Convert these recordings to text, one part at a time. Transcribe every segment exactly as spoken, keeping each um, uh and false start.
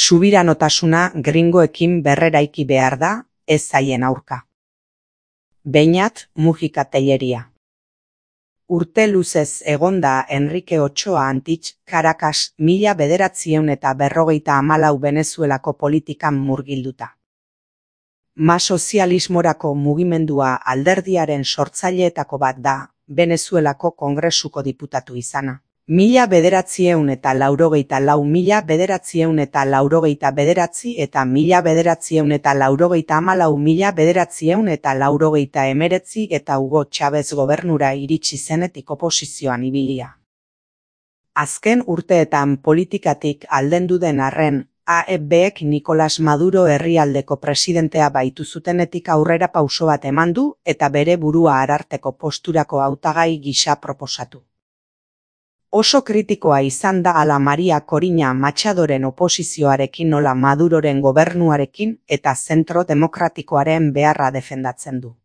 Subiranotasuna gringoekin berreraiki behar da, ez zaien aurka. Beñat Mujika Tellería. Urte luzez egonda Enrique Ochoa Antich, Caracas, mila bederatziehun eta berrogeita hamalau Venezuelako politikan murgilduta. Ma sozialismorako mugimendua alderdiaren sortzaileetako bat da, Venezuelako Kongresuko diputatu izana. Mila bederatziehun eta laurogeita lau mila bederatziehun eta laurogeita bederatzi eta mila bederatziehun eta laurogeita hamalau mila bederatziehun eta laurogeita hemeretzi eta Hugo Chávez gobernura iritsi zenetik oposizioan ibilia. Azken urteetan politikatik aldendu den arren, A E Bek Nicolás Maduro herrialdeko presidentea baitu zutenetik aurrera pauso bat eman du eta bere burua ararteko posturako hautagai gisa proposatu. Oso kritikoa izan da ala Maria Corina Machadoren oposizioarekin nola Maduroren gobernuarekin eta zentro demokratikoaren beharra defendatzen du.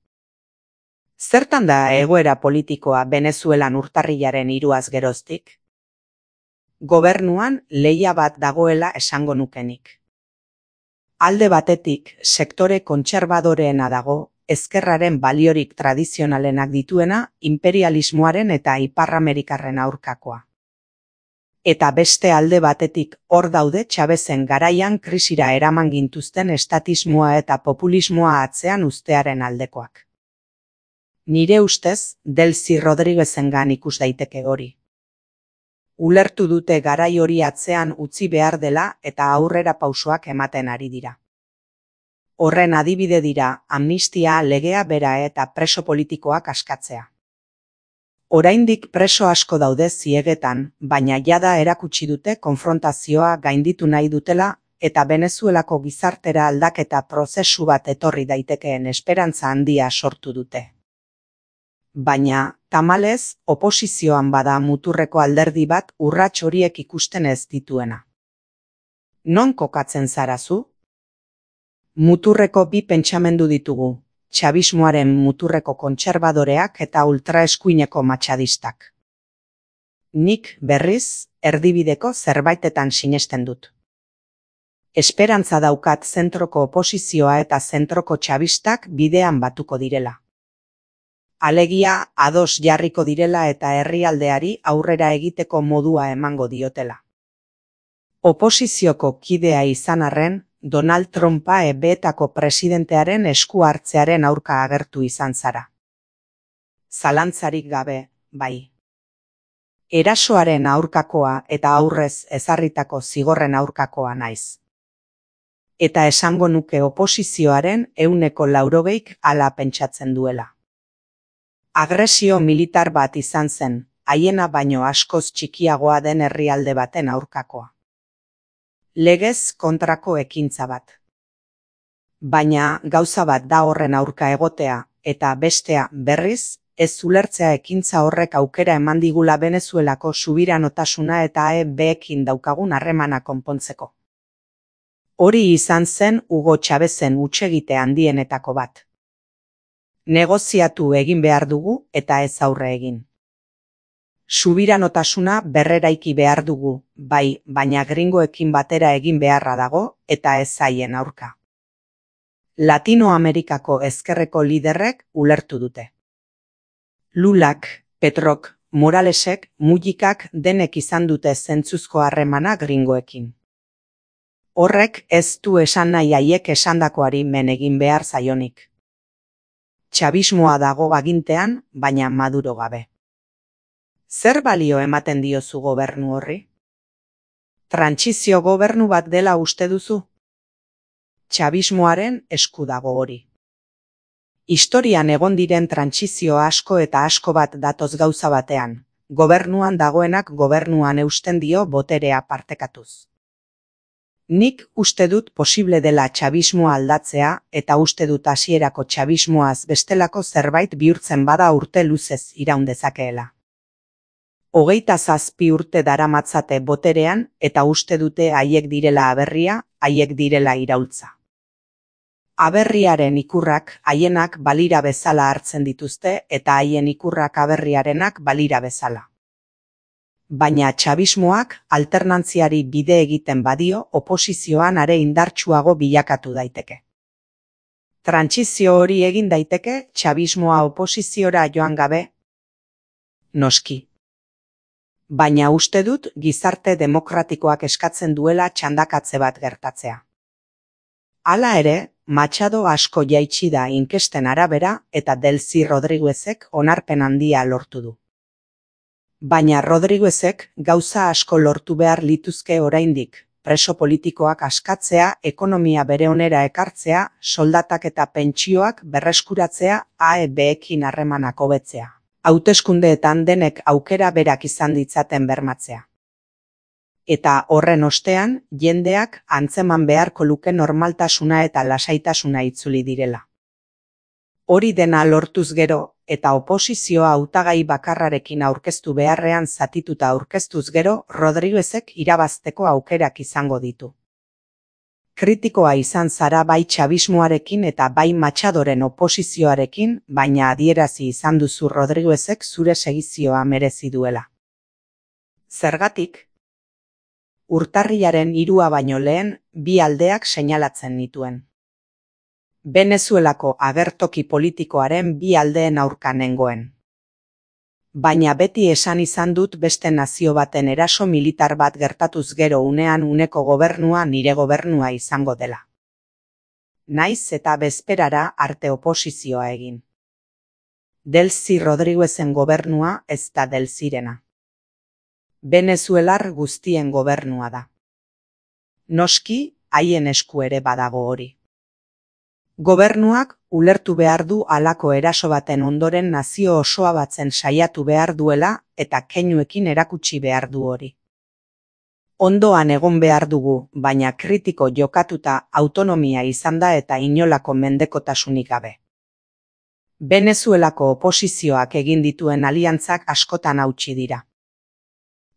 Zertan da egoera politikoa Venezuelan urtarrilaren hiruaz geroztik? Gobernuan lehia bat dagoela esango nukenik. Alde batetik, sektore kontserbadoreena dago, ezkerraren baliorik tradizionalenak dituena, imperialismoaren eta iparramerikarren aurkakoa. Eta beste alde batetik hor daude Chavezen garaian krisira eraman gintuzten estatismoa eta populismoa atzean uztearen aldekoak. Nire ustez, Delcy Rodríguezengan ikus daiteke hori. Ulertu dute garai hori atzean utzi behar dela eta aurrera pausoak ematen ari dira. Horren adibide dira amnistia legea bera eta preso politikoak askatzea. Oraindik preso asko daude ziegetan, baina jada erakutsi dute konfrontazioa gainditu nahi dutela eta Venezuelako gizartera aldaketa prozesu bat etorri daitekeen esperantza handia sortu dute. Baina, tamalez, oposizioan bada muturreko alderdi bat urrats horiek ikusten ez dituena. Non kokatzen zarazu? Muturreko bi pentsamendu ditugu, txabismoaren muturreko kontserbadoreak eta ultraeskuineko matxadistak. Nik, berriz, erdibideko zerbaitetan sinesten dut. Esperantza daukat zentroko oposizioa eta zentroko txabistak bidean batuko direla. Alegia, ados jarriko direla eta herrialdeari aurrera egiteko modua emango diotela. Oposizioko kidea izan arren, Donald Trumpa E Betako presidentearen esku hartzearen aurka agertu izan zara. Zalantzarik gabe, bai. Erasoaren aurkakoa eta aurrez ezarritako zigorren aurkakoa naiz. Eta esango nuke oposizioaren ehuneko laurogeik hala pentsatzen duela. Agresio militar bat izan zen, haiena baino askoz txikiagoa den herrialde baten aurkakoa. Legez kontrako ekintza bat. Baina gauza bat da horren aurka egotea, eta bestea berriz, ez ulertzea ekintza horrek aukera eman digula Venezuelako subiranotasuna eta A E Bekin daukagun harremana konpontzeko. Hori izan zen Hugo Chavezen hutsegite handienetako bat. Negoziatu egin behar dugu eta ez aurre egin. Subiranotasuna berreraiki behar dugu, bai, baina gringoekin batera egin beharra dago eta ez zaien aurka. Latinoamerikako ezkerreko liderrek ulertu dute. Lulak, Petrok, Moralesek, Mujikak denek izan dute zentzuzko harremana gringoekin. Horrek ez du esan nahi haiek esandakoari men egin behar zaionik. Txabismoa dago agintean, baina Maduro gabe. Zer balio ematen diozu gobernu horri? Trantsizio gobernu bat dela uste duzu? Txabismoaren esku dago hori. Historian egon diren trantsizio asko eta asko bat datoz gauza batean, gobernuan dagoenak gobernuan eusten dio boterea partekatuz. Nik uste dut posible dela txabismoa aldatzea eta uste dut hasierako txabismoaz bestelako zerbait bihurtzen bada urte luzez iraun dezakeela. Hogeita zazpi urte daramatzate boterean eta uste dute haiek direla aberria, haiek direla iraultza. Aberriaren ikurrak haienak balira bezala hartzen dituzte eta haien ikurrak aberriarenak balira bezala. Baina txabismoak alternantziari bide egiten badio oposizioan are indartsuago bilakatu daiteke. Trantsizio hori egin daiteke txabismoa oposiziora joan gabe? Noski. Baina uste dut gizarte demokratikoak eskatzen duela txandakatze bat gertatzea. Hala ere, Machado asko jaitsi da inkesten arabera eta Delcy Rodriguezek onarpen handia lortu du. Baina Rodriguezek gauza asko lortu behar lituzke oraindik, preso politikoak askatzea, ekonomia bere onera ekartzea, soldatak eta pentsioak berreskuratzea, A E B-ekin harremanak hobetzea. Hauteskundeetan denek aukera berak izan ditzaten bermatzea. Eta horren ostean, jendeak antzeman beharko luke normaltasuna eta lasaitasuna itzuli direla. Hori dena lortuz gero, eta oposizioa hautagai bakarrarekin aurkeztu beharrean zatituta aurkeztuz gero, Rodriguezek irabazteko aukerak izango ditu. Kritikoa izan zara bai txabismoarekin eta bai Machadoren oposizioarekin, baina adierazi izan duzu Rodriguezek zure segizioa merezi duela. Zergatik? Urtarrilaren hirua baino lehen, bi aldeak seinalatzen nituen. Venezuelako agertoki politikoaren bi aldeen aurka nengoen. Baina beti esan izan dut beste nazio baten eraso militar bat gertatuz gero unean uneko gobernua nire gobernua izango dela. Naiz eta bezperara arte oposizioa egin. Delcy Rodriguezen gobernua ez da Delcyrena. Venezuelar guztien gobernua da. Noski, haien esku ere badago hori. Gobernuak ulertu behar du halako eraso baten ondoren nazio osoa batzen saiatu behar duela eta keinuekin erakutsi behar du hori. Ondoan egon behar dugu, baina kritiko jokatuta autonomia izan da eta inolako mendekotasunik gabe. Venezuelako oposizioak egin dituen aliantzak askotan hautsi dira.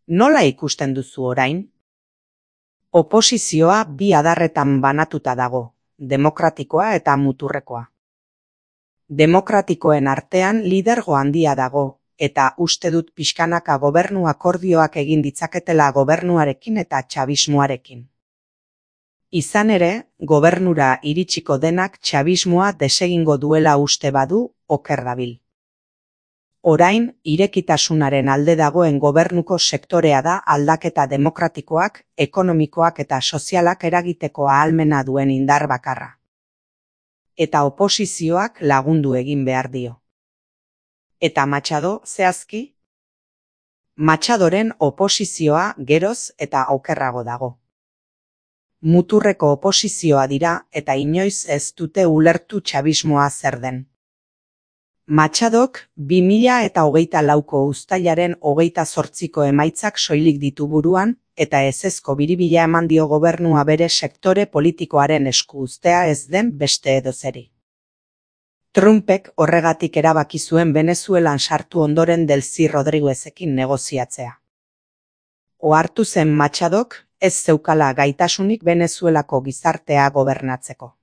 Nola ikusten duzu orain? Oposizioa bi adarretan banatuta dago, demokratikoa eta muturrekoa. Demokratikoen artean lidergo handia dago, eta uste dut pixkanaka gobernu akordioak egin ditzaketela gobernuarekin eta txabismoarekin. Izan ere, gobernura iritsiko denak txabismoa desegingo duela uste badu, oker dabil. Orain, irekitasunaren alde dagoen gobernuko sektorea da aldaketa demokratikoak, ekonomikoak eta sozialak eragiteko ahalmena duen indar bakarra. Eta oposizioak lagundu egin behar dio. Eta Machado, zehazki? Machadoren oposizioa geroz eta okerrago dago. Muturreko oposizioa dira eta inoiz ez dute ulertu txabismoa zer den. Machadok bi mila eta hogeita lauko uztailaren hogeita zortziko emaitzak soilik ditu buruan, eta ezezko biribila eman dio gobernua bere sektore politikoaren esku uztea ez den beste edozeri. Trumpek horregatik erabaki zuen Venezuelan sartu ondoren Delcy Rodriguezekin negoziatzea. Ohartu zen Machadok ez zeukala gaitasunik Venezuelako gizartea gobernatzeko.